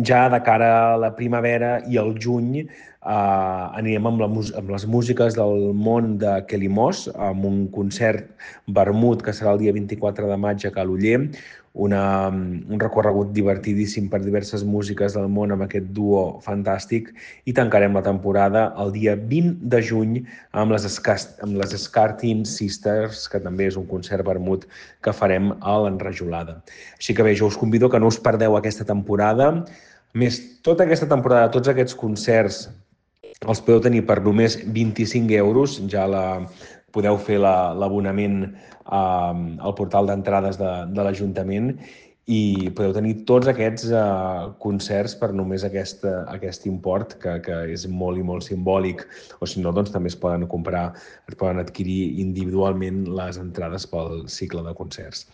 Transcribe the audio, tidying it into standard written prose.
ja de cara a la primavera i al juny anirem amb les músiques del món de Kelly Moss, amb un concert vermut que serà el dia 24 de maig a Cal Oller, un recorregut divertidíssim per diverses músiques del món amb aquest duo fantàstic, i tancarem la temporada el dia 20 de juny amb les Scartin Sisters, que també és un concert vermut que farem a l'Enrajolada. Així que bé, jo us convido que no us perdeu aquesta temporada. A més, tota aquesta temporada, tots aquests concerts els podeu tenir per només 25 euros, podeu fer l'abonament al portal d'entrades de l'Ajuntament i podeu tenir tots aquests concerts per només aquest import, que és molt i molt simbòlic, o si no, doncs també es poden adquirir individualment les entrades pel cicle de concerts.